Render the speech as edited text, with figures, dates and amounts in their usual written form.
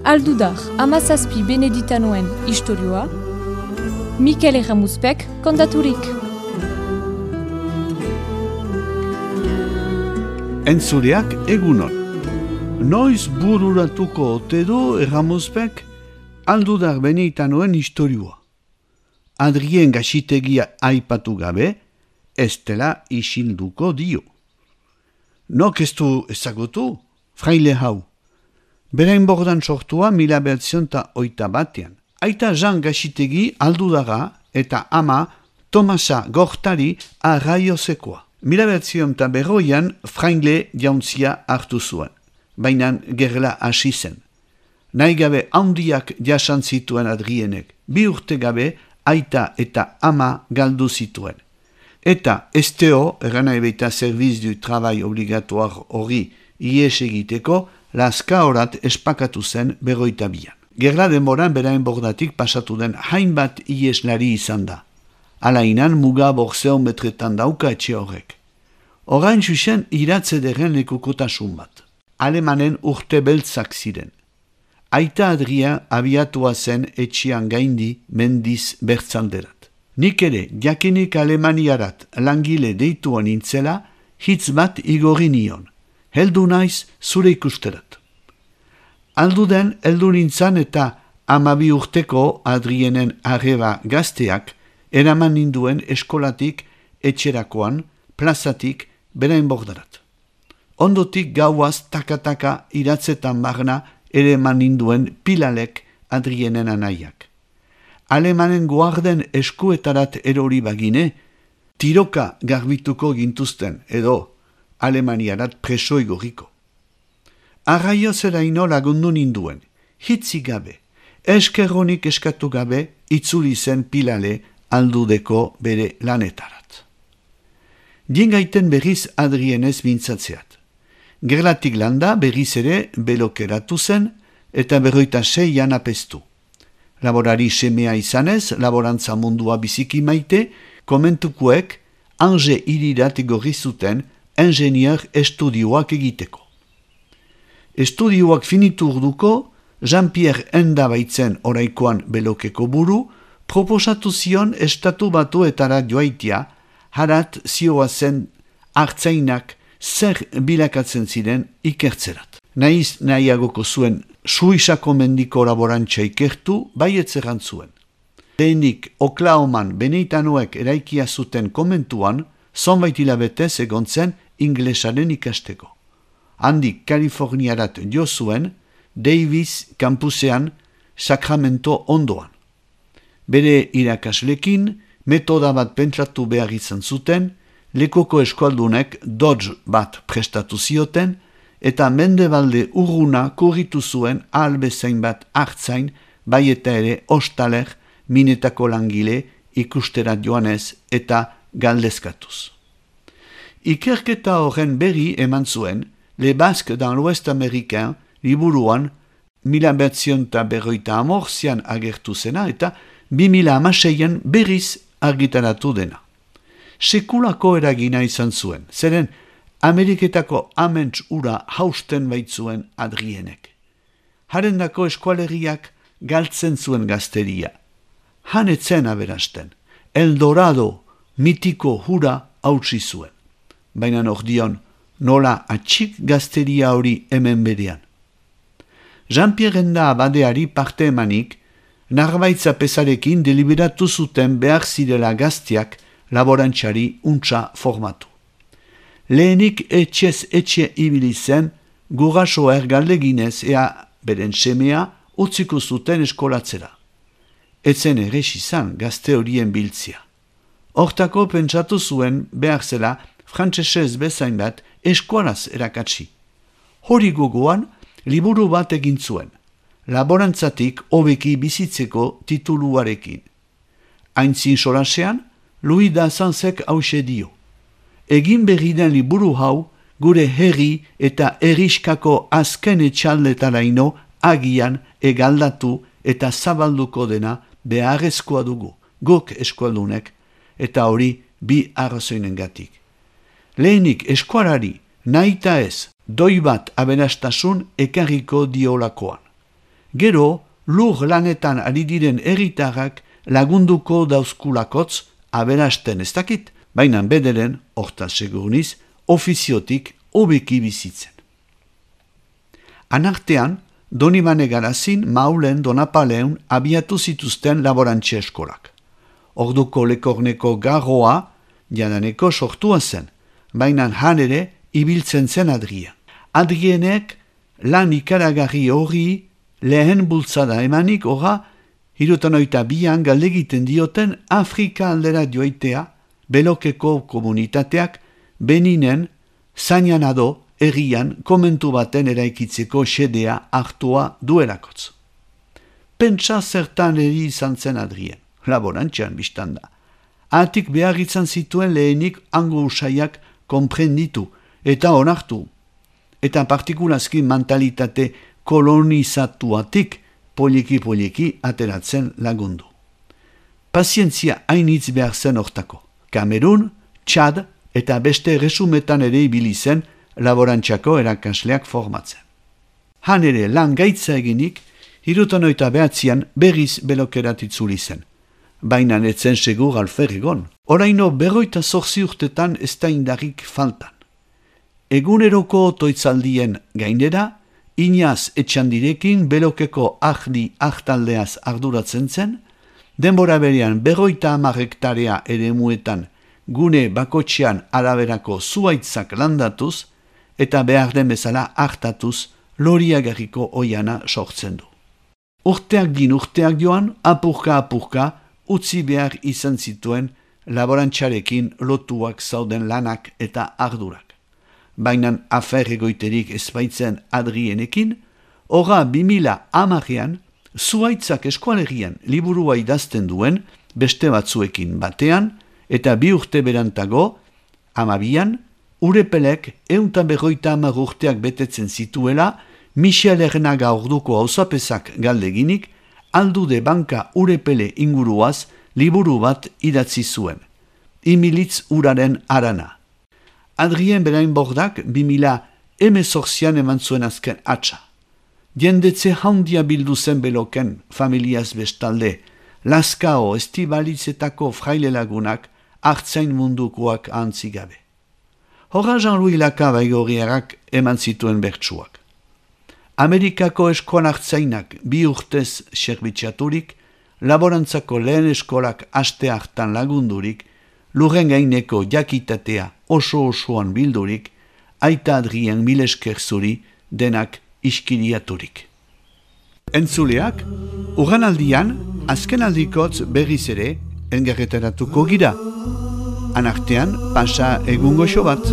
Aldudar, Hamazazpi Beneditanoen istorioa, Mikel Erramuzpek kontaturik. Entzuleak egunon. Noiz bururatuko ote du Erramuzpek Aldudar Beneditanoen istorioa. Adrien gasitegia aipatu gabe, ez dela isilduko dio. Nok ez du ezagutu, fraile hau. Berain bordan sortua 1908 Aita Jean Gasitegi Aldudara eta ama Tomasa Gortari Arraiozekoa. 1902 fraile jauntzia hartu zuen, baina gerla hasi zen. Nahi gabe handiak jasan zituen Adrienek, 2 urte gabe aita eta ama galdu zituen. Eta STO, erana ebeita Service du Travail Obligatoire hori ies egiteko, Lazka horat espakatu zen 52an. Gerla denboran berain bordatik pasatu den hainbat ieslari izan da. Alainan muga borzeometretan dauka etxe horrek. Orain zuzen iratzederen lekukotasun bat. Alemanen urte beltzak ziren. Aita Adria abiatua zen etxean gaindi mendiz bertzalderat. Nik ere, jakinik Alemaniarat langile deituan nintzela, hitz bat igorri nion. Heldu naiz zure ikusterat. Alduden heldu nintzan eta 12 urteko Adrienen arreba gazteak eraman ninduen eskolatik etxerakoan, plazatik berain bordarat. Ondotik gauaz taka-taka iratzetan barna ere eman ninduen Pilalek Adrienen anaiak. Alemanen guarden eskuetarat erori bagine, tiroka garbituko gintuzten edo Alemaniarat preso igorriko. Arraiozeraino lagundu ninduen, hitzi gabe, eskerronik eskatu gabe, itzuli zen Pilale Aldudeko bere lanetarat. Diengaiten berriz Adrienez mintzatzeat. Gerlatik landa berriz ere belokeratu zen eta 26 apestu. Laborari semea izanez, laborantza mundua biziki maite, komentukuek Ange irirat igorri zuten ingenier estudioak egiteko. Estudioak finitu urduko, Jean-Pierre Enda baitzen oraikoan belokeko buru, proposatu zion estatu batuetara joaitia, harat zioa zen hartzainak zer bilakatzen ziren ikertzerat. Naiz nahiagoko zuen Suizako mendiko laborantza ikertu, baietzeran zuen. Lehenik Oklahoman Beneditanoek eraikia zuten komentuan, zonbait hilabetez egon zen inglesaren ikasteko. Handik Kaliforniarat jo zuen, Davis kampusean Sacramento ondoan. Bere irakaslekin, metoda bat pentsatu behar izan zuten, lekoko eskualdunek Dodge bat prestatu zioten, eta mendebalde urruna kurritu zuen ahalbezain bat hartzain, bai eta ere ostaler, minetako langile, ikusterat joanez eta galdezkatuz. Ikerketa horren berri eman zuen, Le Basque dans l'Ouest américain liburuan 1940 agertu zena eta 2016an berriz argitaratu dena. Sekulako eragina izan zuen, zeren Ameriketako aments ura hausten baitzuen Adrienek. Harendako eskualeriak galtzen zuen gazteria. Hanetzen aberasten, Eldorado mitiko hura hautsi zuen. Baina ordion, nola atxik gazteria hori hemen berean. Jean-Pierre Enda abadeari parte emanik, narbaitza pesarekin deliberatu zuten behar zirela gazteak laborantxari untsa formatu. Lehenik etxez etxe ibili zen, guraso ergaldeginez ea beren semea utziko zuten eskolatzera. Etzen erres izan gazte horien biltzia. Hortako pentsatu zuen behar zela frantsesez bezain bat eskualaz erakatsi. Hori gogoan liburu bat egin zuen, laborantzatik hobeki bizitzeko tituluarekin. Aintzin solasean, Louis Dassansek hause dio. Egin berri den liburu hau, gure herri eta herriskako azken etxaldetaraino agian egaldatu eta zabalduko dena beharrezkoa dugu, guk eskualdunek, eta hori bi arrazoinengatik. Lehenik eskualari nahita ez, doi bat aberastasun ekarriko diolakoan. Gero, lur lanetan ari diren herritarrak lagunduko dauzkulakotz aberasten ez dakit, baina bederen, hortaz segurniz, ofiziotik hobeki bizitzen. Anartean, Donibane Garazin, Maulen, Donapaleun abiatu zituzten laborantxe eskolak. Orduko Lekorneko garroa jadaneko sortua zen, baina han ere ibiltzen zen Adrien. Adrienek lan ikaragarri hori lehen bultzada emanik ora 72an galdegiten dioten Afrika aldera joaitea Belokeko komunitateak Beninen Zainanado herrian komentu baten eraikitzeko xedea hartua duelakotz. Pentsa zertan eri izan zen Adrien, laborantxean biztanda. Atik behar izan zituen lehenik hango usaiak konprenditu eta onartu, eta partikulazki mentalitate kolonizatuatik poliki ateratzen lagundu. Pazientzia hainitz behar zen hortako. Kamerun, Txad eta beste resumetan ere ibili zen laborantxako erakasleak formatzen. Han ere lan gaitza eginik, 79an berriz Belokerat itzuli zen. Baina netzen segur alferregon. Oraino 58 urtetan ez da indarrik faltan. Eguneroko otoitzaldien gainera, Inaz Etxandirekin Belokeko ahdi ahtaldeaz arduratzen zen, denbora berean 50 hektarea eremuetan gune bakotxean araberako zuaitzak landatuz eta behar den bezala hartatuz loriagarriko oiana sortzen du. Urteak joan, apurka, utzi behar izan zituen laborantxarekin lotuak zauden lanak eta ardurak. Baina aferregoiterik ezbaitzen Adrienekin, ora 2010an zuaitzak eskualerian liburua idazten duen beste batzuekin batean, eta 2 urte berantago, 20an, Urepelek 150 urteak betetzen zituela, Michel Ernaga orduko auzapezak galdeginik, aldude banka Urepele inguruaz liburu bat idatzi zuen. Imilitz uraren arana. Adrien berain bordak 2018an eman zuen azken atxa. Jendetze handia bildu zen Beloken familiaz bestalde, Lazkao estibalitzetako fraile lagunak hartzain mundukoak antzigabe. Horra Jean-Louis Lakabaigorriarak eman zituen bertsuak. Amerikako eskoan hartzainak 2 urtez serbitxaturik, laborantzako lehen eskolak aste hartan lagundurik, lurren gaineko jakitatea oso-osoan bildurik, aita Adrien milesker zuri denak iskiriaturik. Entzuleak, urranaldian, azken aldikotz berriz ere, engarretaratuko gira. Anartean, pasa egun goxo bat.